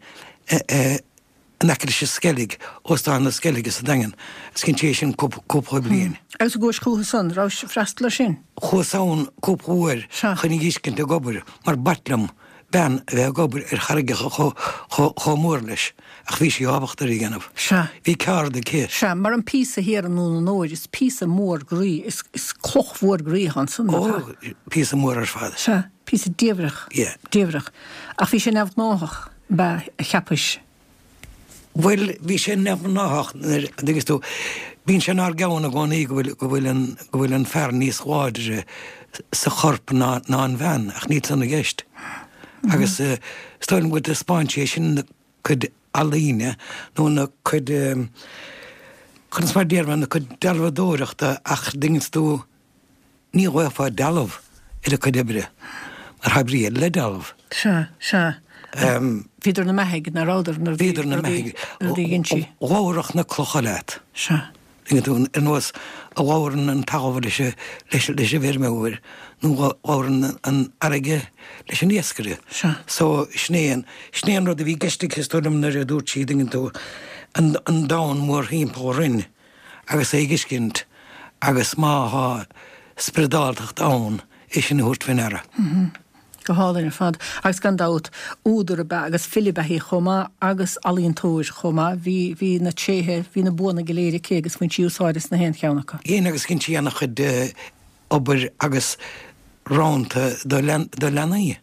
in aice leis an Sceilg, Óstán na Sceilge sa Daingean, agus dhein sí é sin cúpla bliain. Agus an gcuais chúthu san, rabhais ag freastal ar sin? Chuas ann cúpla uair chun í dh'fheiscint ag obair, mar b'ait liom bean a bheith ag obair ar charraigeacha chomh mór leis, ach bhí sí ábalta ar a dhéanamh. Sea. Bhí ceárd aici. Sea, mar an píosa thiar i nDún an Óir, is píosa mór groí, is cloch mhór groí atá ansan, nach ea? Ó, píosa mór ar fad. Sea, píosa diamhrach. Yeah. Diamhrach. Ach bhí sé neamhghnáthach. Ab ea, a cheapais? Bhuel, bhí sé neamhghnáthach nuair a dtuigeas tú, bíonn sé inár gceann i gcónaí go bhfuil, go bhfuil an, go bhfuil an fear níos láidre sa chorp ná, ná an bhean, ach níl san i gceist. Agus is dóigh liom go dtaispeáin sí é sin ina cuid ealaíne nó ina cuid, conas mar a déarfá, ina cuid dealbhadóireachta ach dtuigeanns tú, Ní ghlaofá dealbh ar a cuid oibre, mar tá brí eile le dealbh. Sea, sea. Bhíodar ina mbeathaigh, ná rabhadar, nuair a Bhíodar ina mbeathaigh. Nuair a dhein sí. Labharfadh na clocha leat. Sea. Tuigeann tú, ar nós a labhrann an talamh leis an bhfeirmeoir nó a labhrann an fharraige leis an iascaire. So, sin é an, sin é an rud a bhí i gceist aici is dóigh liom nuair a dúirt sí, tuigeann tú, an domhan mórthimpeall orainn agus é a fheiscint agus má thá spioradáltacht ann, é sin a thabhairt fé ndeara. Go hálainn ar fad. Agus gan dabht, údar ab ea agus file ab ea í chomh maith agus ealaíontóir chomh maith. Bhí, bhí na tréithe, bhí na buanna go léir aici agus bhain sí úsáid as na haon cheann acu. Dhein agus dhein sí ana-chuid obair agus rannta do do leanaí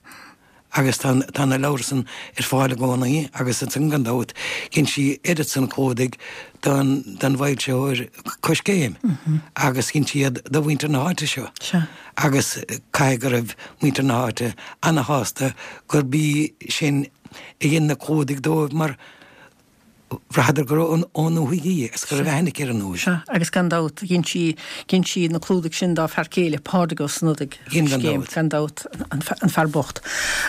agus tá tá na leabhair san ar fáil i gcónaí agus ansan gan dabht dhein sí oiread san clúdaigh don don bhfoilsitheoir Coiscéim agus dhein sí iad do mhuintir na háite seo. Sea. Agus caithfidh go raibh muintir na háite ana-shásta gurb í sin a dhein na clúdaigh dóibh mar bhraitheadar gur ón ndúthaigh í agus go raibh aithne aici ar an ndúthaigh. Sea, agus gan dabht, dhein sí, dhein sí na clúdaigh sin dá fear céile, Pádraig Ó Snodaigh, Dhein, gan dabht. Gan dabht, an fear bocht.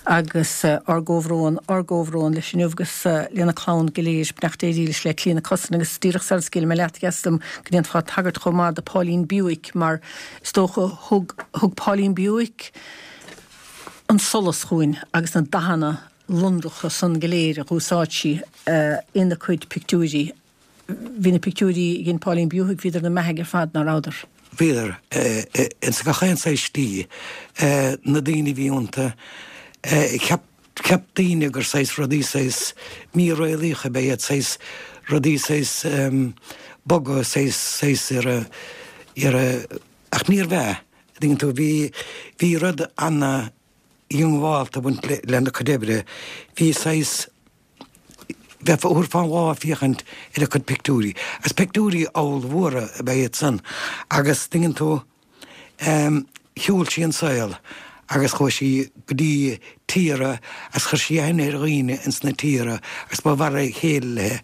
Agus ár gcomhbhrón, ár gcomhbhrón leis inniu agus lena clann go léir, beannacht Dé dhílis le Clíona Cussen agus díreach sara scaoilfidh mé leat, dheas liom go ndéanfá tagairt chomh maith do Pauline Bewick mar Is dócha, thug, thug Pauline Bewick an solas chugainn agus na dathanna lonracha san go léir a dh'úsáid sí ina cuid pictiúirí. Bhí na pictiúirí a dhein Pauline Bewick, bhíodar ina mbeathaigh ar fad, ná rabhadar? Bhíodar, ins gach aon saghas slí. Na daoine a bhí iontu, cheap, Cheap daoine gur saghas rudaí saghas míréalaíoch ab ea iad, saghas rudaí saghas boga, saghas, saghas ar a, ar a, ach níorbh ea, an dtuigeann tú, bhí, bhí rud ana-dhiongbhálta ag baint lena cuid oibre, bhí saghas, bheifeá, thabharfá an lá ag féachaint ar a cuid pictiúirí, agus pictiúirí ollmhóra ab ea iad san, agus an dtuigeann tú, Shiúil sí an saol agus chuaigh sí go dtí tíortha agus chuir sí aithne ar dhaoine ins na tíortha agus ba mhar a chéile léi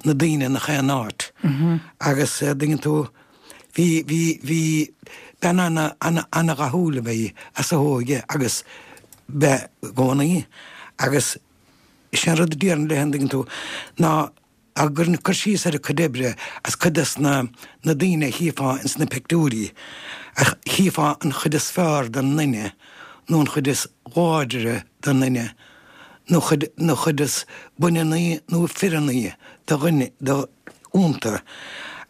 na daoine i ngach aon áit. Agus an dtuigeann tú, bhí, bhí, bhí bean ana, ana, ana-dhathúil ab ea í as a hóige agus b'ea i gcónaí agus is é an rud a déarfainn léi an dtuigeann tú ná Ag cur síos ar a cuid oibre is cuid des na na daoine a chífeá ins na pictiúirí, ach chífeá an chuid is fearr den nduine nó an chuid is láidre den nduine nó chuid nó chuid is baineannaí nó fireannaí de dhuine de iontu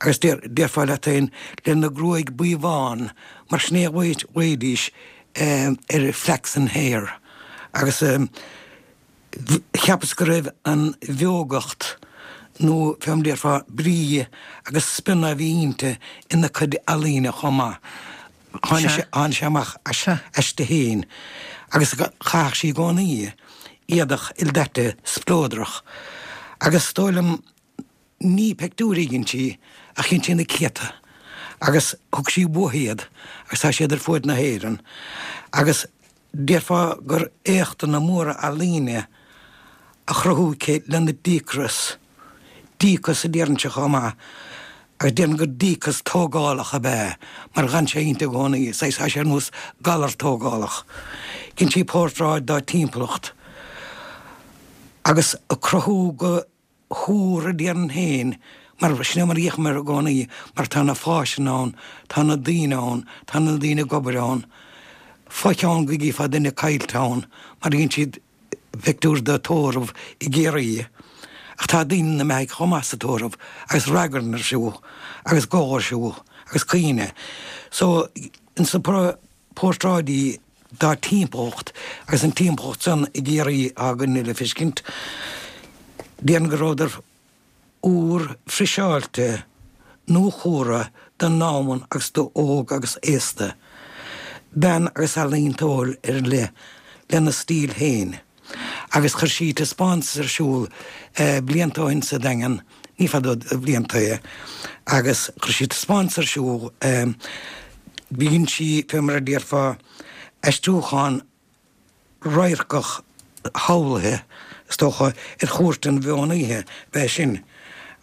agus deir déarfá leat féin lena gruaig buí bhán mar sin é a ghlaoidís ar flaxen hair agus Cheapas go raibh an bheogacht, nó fé mar déarfá, brí agus spionna a bhí inti ina cuid ealaíne chomh maith. Tháinig sé amach aisti féin agus chaitheadh sí i gcónaí éadach ildaite spleodrach. Agus is dóigh liom, ní pictiúirí a dhein sí ach dhein sí na céadta agus thug sí uaithi iad agus tá siad ar fuaid na hÉireann agus déarfá gur éachtanna móra ealaíne á chruthú aici lena díocras, díocas a déarfainnse chomh maith agus déarfainn gur díocas tógálach ab ea mar dh'fhan sé inti i gcónaí, saghas, tá sé ar nós galar tógálach. Dhein sí portráid dá timpeallacht agus ag cruthú go húr a déarfainn féin, mar sin é mar a fhéachaim air i gcónaí, mar tá na fáiseanna ann, tá na daoine ann, tá na daoine ag obair ann. Fo-cheann go gcífeá duine caillte ann, mar dhein siad pictiúr de tórramh i gCiarraí, ach tá daoine ina mbeathaidh chomh maith sa tórramh, agus ragairne ar siúl, agus gol ar siúl, agus caoineadh. So, ins na portráidí dá timpeallacht agus an timpeallacht san i gCiarraí againne le feiscint. Déarfainn go rabhadar úr friseáilte, nuachúrtha don ndomhan agus do óg agus aosta. Bean agus ealaíontóir ar leith lena stíl féin. Agus chuir sí taispeántas ar siúl blianta ó shin sa Daingean, ní fada de bhlianta é, agus chuir sí taispeántas ar siúl, dhein sí, fé mar a déarfá, aistriúchán radharcach shamhlaithe, is dócha, ar Chúirt an Mheán Oíche, ab ea sin,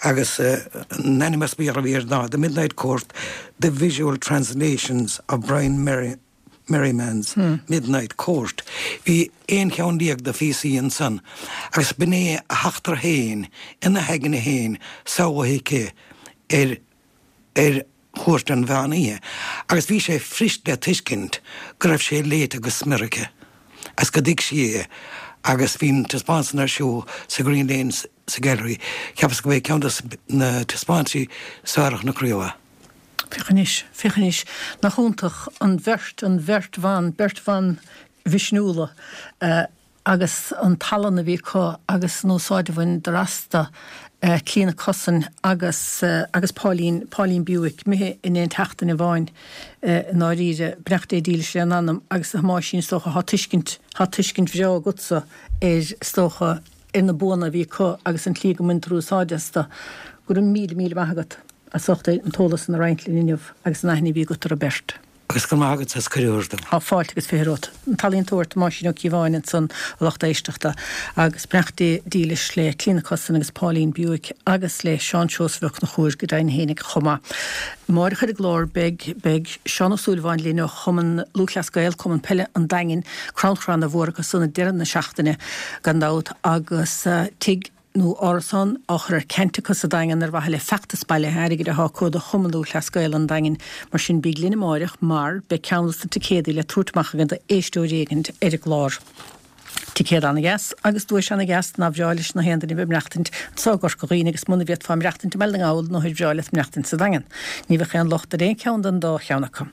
agus an ainm as Béarla a bhí air ná The Midnight Court, The Visual Translations of Brian Merriman's Midnight Court. Bhí 11 cheann de phíosaí ansan agus b'in é a heachtra féin ina haigne féin samhlaithe aici ar. Ar chúirt an mheán oíche agus bhí sé fuirist le tuiscint go raibh sé léite go smior aici agus go dtuig sí é agus bhí an taispeántas san ar siúl sa Green Lane sa Gallery. Cheapas go b'é ceann de na taispeántaisí is fearr a chonac riamh é. Féach anois, féach anois, nach iontach an bheirt, an bheirt bhan, beirt bhan mhisniúla agus an tallann a bhí acu agus an úsáid a bhaineadar astu, Clíona Cussen agus agus Pauline, Pauline Bewick, imithe in aon tseachtain amháin i ndáiríre, beannacht Dé dílis lena n-anam agus a Thomáisín is dócha, tá tuiscint, tá tuiscint bhreá agatsa ar, is dócha, ar na buanna a bhí acu agus an tslí go mbaintear úsáid astu. Go raibh míle, míle maith agat as ucht an t-eolas san a roinnt linn inniu agus an aithne a bhí agat orthu beirt. Agus go raibh maith agat as cuireadh a thabhairt dom. Tá fáilte agus 20 romhat. An t-ealaíontóir Tomáisín Ó Cíobháin ansan, a lucht éisteachta, agus beannacht Dé dílis le Clíona Cussen agus Pauline Bewick agus le Seán Seosamh Ó Conchúir go deimhin fhéinig chomh maith. Amáireach ar an gclár beidh beidh Seán Ó Súilleabháin linn ó Chumann Lúthchleas Gael, Cumann Peile an Daingin, crannchur ana mhór acu san ag deireadh na seachtaine gan dabht agus tigh nó árasán á chur ar ceant acu sa Daingean ar mhaithe le feachtas bailithe airgid atá acu do Chumann Lúthchleas Gael an Daingin. Mar sin bíg linn amáireach mar beidh ceann dos na ticéadaí le tabhairt amach againn d'éisteoir éigint ar an gclár. Ticéad ana-dheas agus duais ana-dheas nár bhreá leis na haon duine bheith ag maireachtaint anso i gCorca Dhuibhne agus muna bhféadfá maireachtaint i mBaile na nGall nó ar bhreá leat maireachtaint sa Daingean. Ní bheadh aon locht ar aon cheann den dá cheann acu.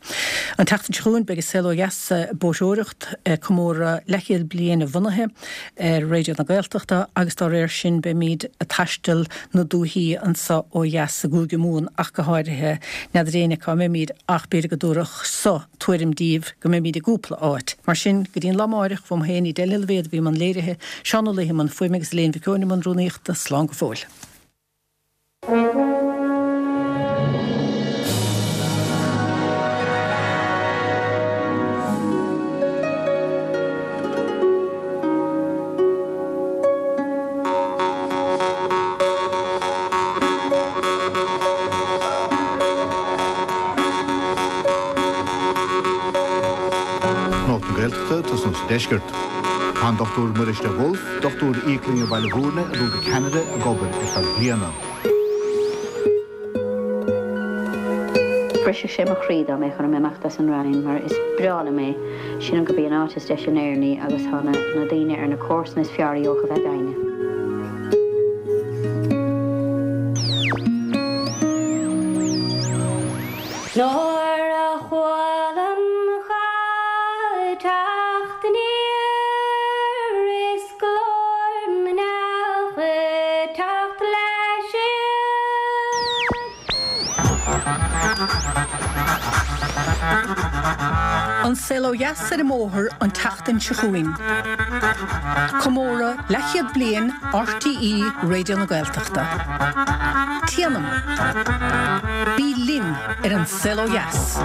An tseachtain seo chugainn beidh an Saol Ó Dheas ag bóithreoireacht ag comóradh leathchéad bliain a bhunaithe. ar Raidió na Gaeltachta agus dá réir sin beimid ag taisteal na dúichí anso ó dheas i gCúige Mumhan ach go háirithe. N'fheadar éinne cá mbeimid ach b'fhéidir go dtabharfadh so tuairim díbh go mbeimid i gcúpla áit. Mar sin, go dtí an lá amáireach, uaim féin, Edel Ní Loibhéad a bhí i mbun léirithe, Seán Ó Laoithe i mbun fuaime agus Elaine Mhic Eoin i mbun rúnaíochta, slán go fóill. Nuacht na Gaeltachta, tosnú sa Deisceart. Tá an Dr Muiris de Bhulf, dochtúir íoclainne Bhaile Bhúirne ag dul go Ceanada ag obair ar feadh bliana. Bhrisfeadh sé mo chroí dá mbeadh orm imeacht as an Rinn mar is breá liom é. Sílim gurb í an áit is deise in Éirinn í agus tá na na daoine ar na comharsana is fearr a gheobhadh a bheith ag éinne. Nuair a chualam cha teacht aniar is glór na n-each ag teacht le siar. An Saol Ó Dheas ar an mbóthar an tseachtain seo chugainn. Comóradh leathchéad bliain RTÉ Raidió na Gaeltachta. Téanam! Bí linn ar An Saol Ó Dheas!